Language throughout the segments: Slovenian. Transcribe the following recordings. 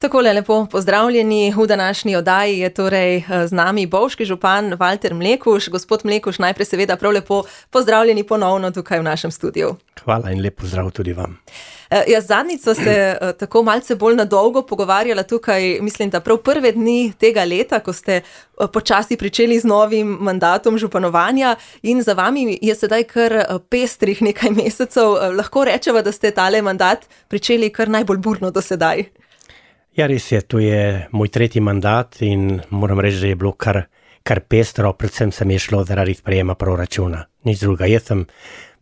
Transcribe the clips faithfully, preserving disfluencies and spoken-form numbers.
Takole lepo pozdravljeni, v današnji oddaji je torej z nami bovški župan Valter Mlekuž. Gospod Mlekuž, najprej seveda prav lepo pozdravljeni ponovno tukaj v našem studiu. Hvala in lep pozdrav tudi vam. Jaz zadnjič sva se tako malce bolj na dolgo pogovarjala tukaj, mislim, da prav prve dni tega leta, ko ste počasi pričeli z novim mandatom županovanja in za vami je sedaj kar pestrih nekaj mesecev. Lahko rečeva, da ste tale mandat pričeli kar najbolj burno do sedaj. Ja, res je, to je moj tretji mandat in moram reči, da je bilo kar, kar pestro, predvsem se mi je šlo zaradi sprejema proračuna. Nič druga, jaz sem,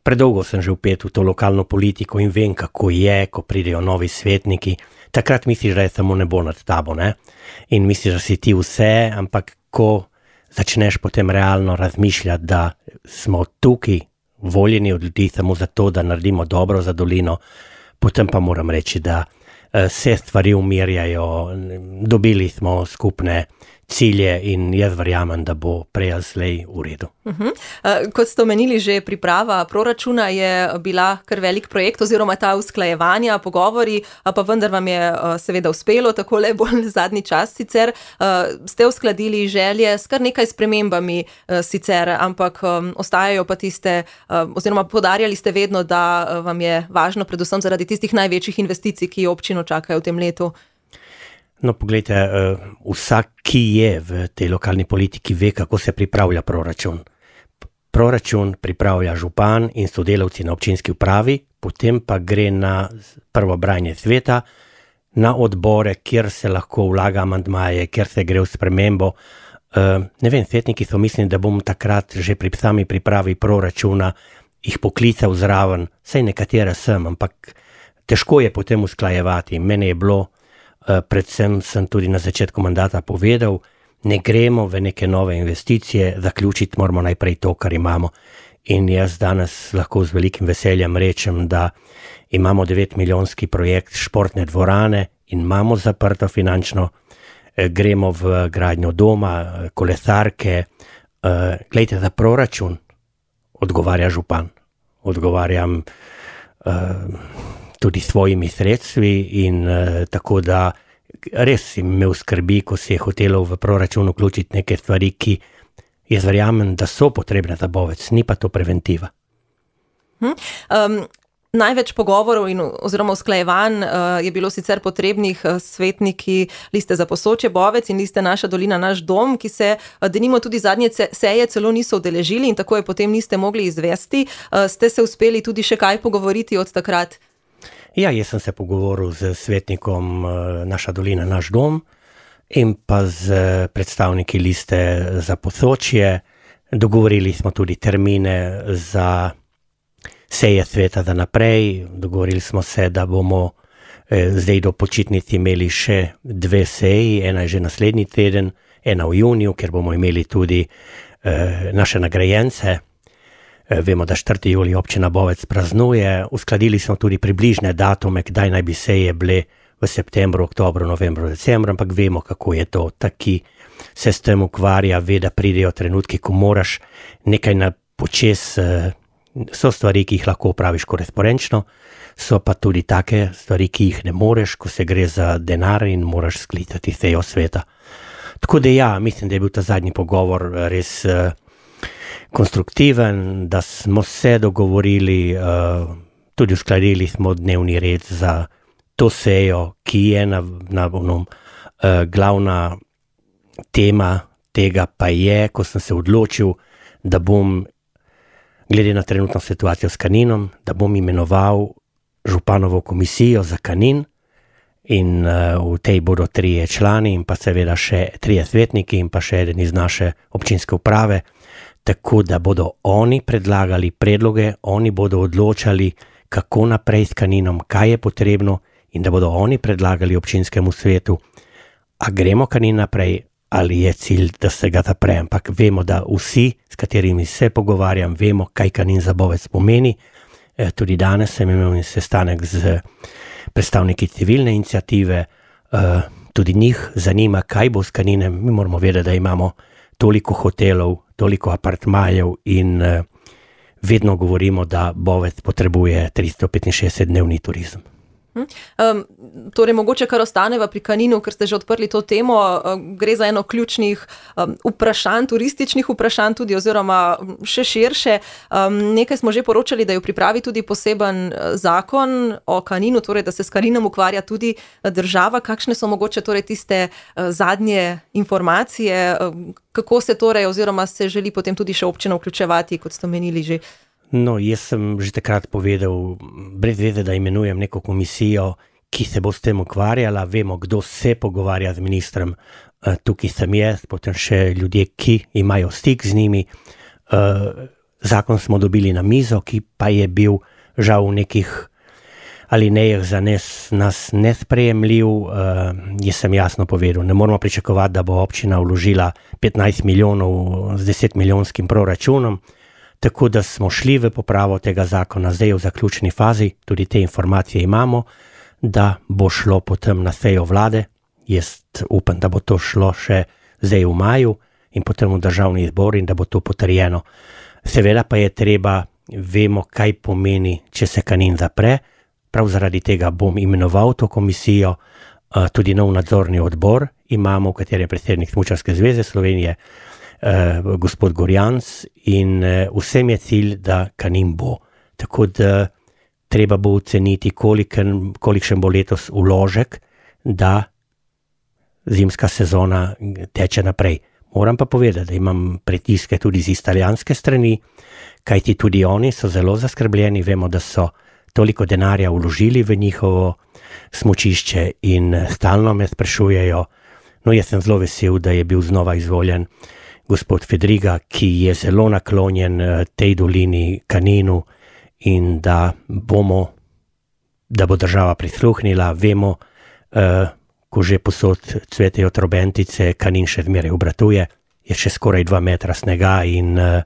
predolgo sem že vpet v to lokalno politiko in vem, kako je, ko pridejo novi svetniki. Takrat misliš, da je samo nebo nad tabo, ne? In misliš, da si ti vse, ampak ko začneš potem realno razmišljati, da smo tukaj voljeni od ljudi samo zato, da naredimo dobro za dolino, potem pa moram reči, da se stvari umirjajo, dobili smo skupne cilje in jaz verjamem, da bo prej ali slej v redu. Uh-huh. Kot ste omenili, že priprava proračuna je bila kar velik projekt oziroma ta usklajevanja, pogovori, pa vendar vam je seveda uspelo, takole bolj zadnji čas sicer. Ste uskladili želje s kar nekaj spremembami sicer, ampak ostajajo pa tiste, oziroma poudarjali ste vedno, da vam je važno predvsem zaradi tistih največjih investicij, ki občino čakajo v tem letu. No, poglejte, vsak, ki je v tej lokalni politiki, ve, kako se pripravlja proračun. Proračun pripravlja župan in sodelavci na občinski upravi, potem pa gre na prvo branje sveta, na odbore, kjer se lahko vlaga amandmaje, kjer se gre v spremembo. Ne vem, svetniki so mislili, da bom takrat že pri sami pripravi proračuna jih poklical zraven, saj nekatere sem, ampak težko je potem usklajevati. Mene je bilo, predvsem sem tudi na začetku mandata povedal, ne gremo v neke nove investicije, zaključiti moramo najprej to, kar imamo. In jaz danes lahko z velikim veseljem rečem, da imamo devetmilijonski projekt športne dvorane in imamo zaprto finančno, gremo v gradnjo doma, kolesarke. Glejte, za proračun odgovarja župan. Odgovarjam tudi svojimi sredstvi in uh, tako da res imel skrbi, ko si je hotelov v proračun vključiti neke stvari, ki jaz verjamem, da so potrebne za Bovec, ni pa to preventiva. Hmm. Um, največ pogovorov in oziroma usklajevanj uh, je bilo sicer potrebnih uh, svetniki Liste za Posočje Bovec in Liste Naša dolina, naš dom, ki se uh, denimo tudi zadnje seje celo niso udeležili in tako je potem niste mogli izvesti. Uh, ste se uspeli tudi še kaj pogovoriti od takrat? Ja, jaz sem se pogovoril z svetnikom Naša dolina, naš dom in pa z predstavniki Liste za Posočje. Dogovorili smo tudi termine za seje sveta za naprej. Dogovorili smo se, da bomo eh, zdaj do počitnic imeli še dve seji, ena je že naslednji teden, ena v juniju, ker bomo imeli tudi eh, naše nagrajence. Vemo, da četrtega julija občina Bovec praznuje. Uskladili smo tudi približne datume, kdaj naj bi seje bile v septembru, oktobru, novembru, decembru, ampak vemo, kako je to. Taki se s tem ukvarja, ve, da pridejo trenutki, ko moraš nekaj na počes. So stvari, ki jih lahko upraviš korespondenčno, so pa tudi take stvari, ki jih ne moreš, ko se gre za denar in moraš sklicati sejo sveta. Tako da ja, mislim, da je bil ta zadnji pogovor res konstruktiven, da smo se dogovorili, uh, tudi uskladili smo dnevni red za to sejo, ki je na, na onom, uh, glavna tema tega pa je, ko sem se odločil, da bom, glede na trenutno situacijo s Kaninom, da bom imenoval županovo komisijo za Kanin in uh, v tej bodo trije člani in pa seveda še trije svetniki in pa še eden iz naše občinske uprave, tako da bodo oni predlagali predloge, oni bodo odločali, kako naprej s Kaninom, kaj je potrebno in da bodo oni predlagali občinskemu svetu, a gremo Kanin naprej ali je cilj, da se ga zapre. Ampak vemo, da vsi, s katerimi se pogovarjam, vemo, kaj Kanin za Bovec pomeni. E, tudi danes sem imel sestanek z predstavniki civilne iniciative, e, tudi njih zanima, kaj bo s Kaninem. Mi moramo vedeti, da imamo toliko hotelov, toliko apartmajev in uh, vedno govorimo, da Bovec potrebuje tristo petinšestdeset dnevni turizem. Um, torej, mogoče kar ostaneva pri Kaninu, ker ste že odprli to temo, um, gre za eno ključnih um, vprašanj, turističnih vprašanj tudi, oziroma še širše. Um, nekaj smo že poročali, da je v pripravi tudi poseben zakon o Kaninu, torej, da se s Kaninom ukvarja tudi država. Kakšne so mogoče torej tiste uh, zadnje informacije, um, kako se torej, oziroma se želi potem tudi še občina vključevati, kot ste omenili že? No, jaz sem že takrat povedal, brez veze, da imenujem neko komisijo, ki se bo s tem ukvarjala, vemo, kdo se pogovarja z ministrem, tukaj sem jaz, potem še ljudje, ki imajo stik z njimi. Zakon smo dobili na mizo, ki pa je bil žal v nekih alinejah za nas, nas nesprejemljiv. Jaz sem jasno povedal, ne moramo pričakovati, da bo občina vložila petnajst milijonov z deset milijonskim proračunom. Tako da smo šli v popravo tega zakona, zdaj v zaključni fazi, tudi te informacije imamo, da bo šlo potem na sejo vlade. Jaz upam, da bo to šlo še zdaj v maju in potem v državni zbor in da bo to potrjeno. Seveda pa je treba, vemo, kaj pomeni, če se Kanin zapre. Prav zaradi tega bom imenoval to komisijo, tudi nov nadzorni odbor imamo, v kateri je predsednik Smučarske zveze Slovenije, Uh, gospod Gorjanc, in uh, vsem je cilj, da Kanin bo. Tako da treba bo oceniti, kolikšen, kolikšen bo letos vložek, da zimska sezona teče naprej. Moram pa povedati, da imam pritiske tudi z italijanske strani, kajti tudi oni so zelo zaskrbljeni, vemo, da so toliko denarja vložili v njihovo smučišče in stalno me sprašujejo. No, jaz sem zelo vesel, da je bil znova izvoljen gospod Fedriga, ki je zelo naklonjen tej dolini Kaninu in da bomo, da bo država prisluhnila. Vemo, eh, ko že posod cvetejo trobentice, Kanin še zmeraj obratuje, je še skoraj dva metra snega in eh,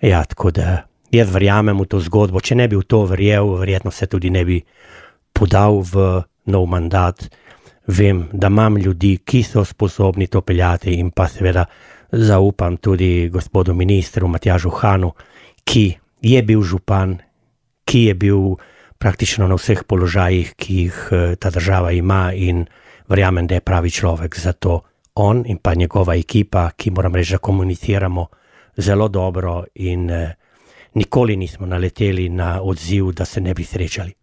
ja, tako da jaz verjamem v to zgodbo. Če ne bi v to verjel, verjetno se tudi ne bi podal v nov mandat. Vem, da imam ljudi, ki so sposobni to peljati in pa seveda zaupam tudi gospodu ministru Matjažu Hanu, ki je bil župan, ki je bil praktično na vseh položajih, ki jih ta država ima in verjamem, da je pravi človek za to. On in pa njegova ekipa, ki moram reči, da komuniciramo zelo dobro in eh, nikoli nismo naleteli na odziv, da se ne bi srečali.